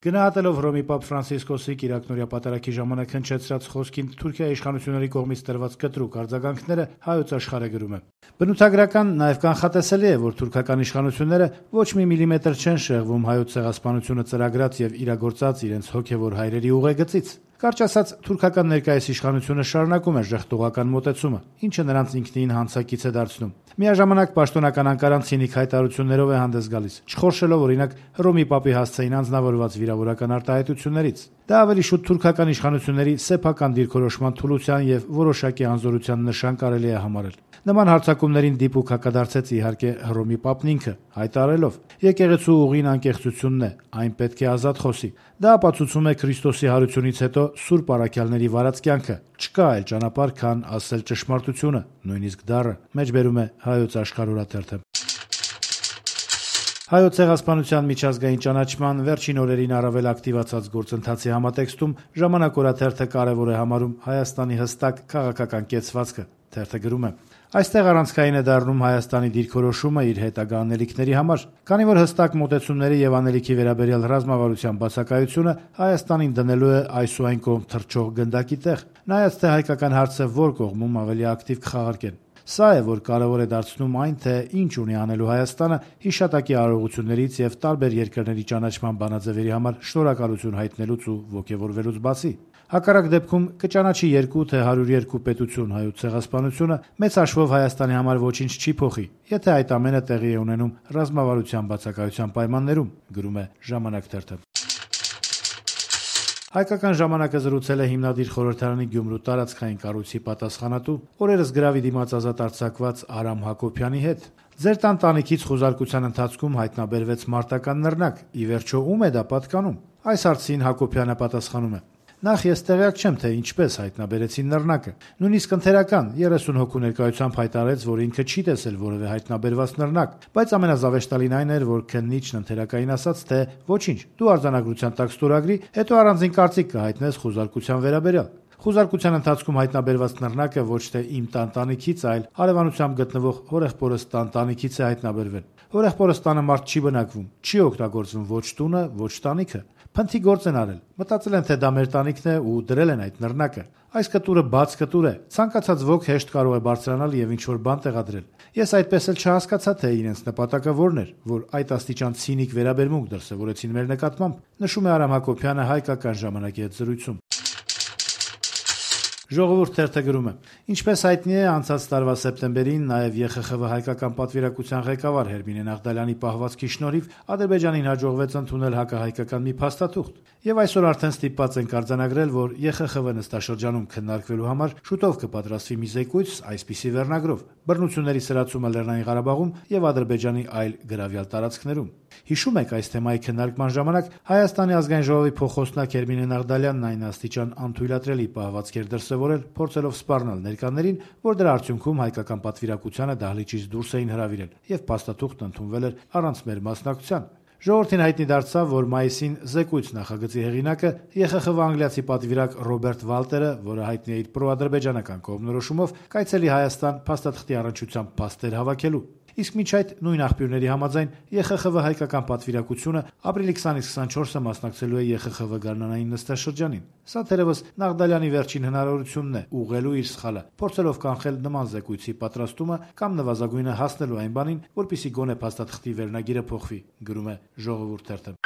Գնահատելով Հռոմի Պապ Ֆրանցիսկոսի կիրակնօրյա պատարագի ժամանակ հնչեցրած խոսքին Թուրքիայի իշխանությունների կողմից տրված կտրուկ արձագանքները Հայոց Աշխարհը գրում է. բնութագրական, նաև կանխատեսելի է, որ թուրքական իշխանությունները ոչ մի միլիմետր չեն շեղվում Հայոց ցեղասպանությունը ծրագրած եւ իրագործած իրենց հոգեվոր հայրերի ուղեգծից։ Կարճ ասած, թուրքական ներկայիս իշխանությունը շարունակում է ժխտողական մոտեցումը, ինչը նրանց ինքնին հանցակից է դարձնում։ Միաժամանակ պաշտոնական Անկարան ցինիկ հայտարարություններով է հանդես գալիս, չխորշելով օրինակ Հռոմի Պապի հասցեին անձնավորված վիրավորական արտահայտություններից։ Դա ավելի շուտ թուրքական իշխանությունների սեփական դիրքորոշման թուլության եւ որոշակի անզորության նշան կարելի է համարել։ Նման հարձակումներին դիպուկ հակադարձեց իհարկե Հռոմի Պապն ինքը, հայտարարելով. «Եկեղեցու ուղին անկեղծությունն է, այն պետք է ազատ խոսի»։ Դա ապացուցում է Քրիստոսի հարությունից հետո Սուրբ առաքյալների վարած կյանքը։ Չկա այլ ճանապարհ, քան ասել ճշմարտությունը, նույնիսկ դառը, մեջբերում է Հայոց Աշխարհ օրաթերթը։ Հայոց ցեղասպանության միջազգային ճանաչման վերջին օրերին առավել ակտիվացած գործընթացի համատեքստում Ժամանակ օրաթերթը կարևոր է համարում Հայաստանի հստակ քաղաքական կեցվածքը։ Թերթը գրում է. «Այստեղ առանցքային է դառնում Հայաստանի դիրքորոշումը իր հետագա անելիքների համար, քանի որ հստակ մոտեցումների եւ անելիքի վերաբերյալ ռազմավարության բացակայությունը Հայաստանին դնելու է այս ու այն կողմ թռչող գնդակի տեղ, նայած թե հայկական հարցը որ կողմում ավելի ակտիվ կխաղարկեն։ Սա է, որ կարևոր է դարձնում այն, թե ինչ ունի անելու Հայաստանը հիշատակի արարողություններից եւ տարբեր երկրների ճանաչման բանաձևերի համար շնորհակալություն հայտնելուց ու ոգեվորվելուց բացի։ Հակառակ դեպքում կճանաչի 2 թե 102 պետություն Հայոց ցեղասպանությունը մեծ հաշվով Հայաստանի համար ոչինչ չի փոխի, եթե այդ ամենը տեղի է ունենում ռազմավարության բացակայության պայմաններում», գրում է Ժամանակ թերթը։ Հայկական ժամանակը զրուցել է հիմնադիր խորհրդարանի Գյումրու տարածքային կառույցի պատասխանատու, օրերս գրավի դիմաց ազատ արձակված Արամ Հակոբյանի հետ։ «Ձեր տանտանիքից խուզարկության ընթացքում հայտնաբերվեց մարտական նռնակ, ի վերջո ում է դա պատկանում»։ Այս հարցին Հակոբյանը պատասխանում է. «Նախ ես տեղյակ չեմ, թե ինչպես հայտնաբերեցին նռնակը։ Նույնիսկ ընթերական 30 հոգու ներկայությամբ հայտարարեց, որ ինքը չի տեսել որևէ հայտնաբերված նռնակ, բայց ամենազավեշտալին այն էր, որ քննիչն ընթերակային ասաց, թե ոչինչ, դու արձանագրության տակ ստորագրի, հետո առանձին կարծիք կհայտնես խուզարկության վերաբերյալ։ Խուզարկության ընթացքում հայտնաբերված նռնակը ոչ թե իմ տանտանիքից, այլ հարևանությամբ գտնվող հորեղբորս տանտանիքից է հայտնաբերվել։ Հորեղբորս տանը մարդ չի բնակվում, չի օգտագործվում ոչ տունը, ոչ տանիքը։ Փնթի գործ են արել, մտածել են, թե դա մեր տանիքն է ու դրել են այդ նռնակը։ Այս կտուրը բաց կտուր է, ցանկացած ոք հեշտ կարող է բարձրանալ եւ ինչ-որ բան տեղադրել։ Ես այդպես էլ չհասկացա, թե իրենց նպատակը որն էր, որ այդ աստիճան ցինիկ վերաբերմունք դրսևորեցին մեր նկատմամբ», նշում է Արամ Հակոբյանը Հայկական ժամանակի հետ զրույցում։ Ժողովուրդ թերթը գրում է. «Ինչպես հայտնի է, անցած տարվա սեպտեմբերին նաև ԵԽԽՎ հայկական պատվիրակության ղեկավար Հերմինե Նաղդալյանի պահվածքի շնորհիվ Ադրբեջանին հաջողվեց ընդունել հակահայկական մի փաստաթուղթ, եւ այսօր արդեն ստիպված ենք արձանագրել, որ ԵԽԽՎ նստաշրջանում քննարկվելու համար շուտով կպատրաստվի մի զեկույց այսպիսի վերնագրով՝ բռնությունների սրացումը Լեռնային Ղարաբաղում եւ Ադրբեջանի այլ գրավյալ տարածքներում։ Հիշում եք, այս թեմայի քննարկման ժամանակ Հայաստանի ազգային ժողովի փոխխոսնակ Հերմինե Նաղդալյանն այն աստիճան անթույլատրելի պահվածքեր դրսևորել, փորձելով սպառնալ ներկաներին, որ դրա արդյունքում հայկական պատվիրակությանը դահլիճից դուրս էին հրավիրել եւ փաստաթուղթն ընդունվել էր առանց մեր մասնակցության։ Ժողովրդին հայտնի դարձավ, որ մայիսին զեկույց նախագծի հեղինակը ԵԽԽՎ անգլիացի պատվիրակ Ռոբերտ Վալտերը, որը հայտնի է իր պրոադրբեջանական կողմնորոշումով, կայցելի Հայաստան փաստաթղթի առնչությամբ փաստեր հավաքելու։ Իսկ մինչ այդ նույն աղբյուրների համաձայն ԵԽԽՎ հայկական պատվիրակությունը ապրիլի 20-ից 24-ը մասնակցելու է ԵԽԽՎ գարնանային նստաշրջանին։ Սա թերևս Նաղդալյանի վերջին հնարավորությունն է ուղղելու իր սխալը, փորձելով կանխել նման զեկույցի պատրաստումը կամ նվազագույնը հասնելու այն բանին, որպեսզի գոնե փաստաթղթի վերնագիրը փոխվի, գրում է Ժողովուրդ թերթը։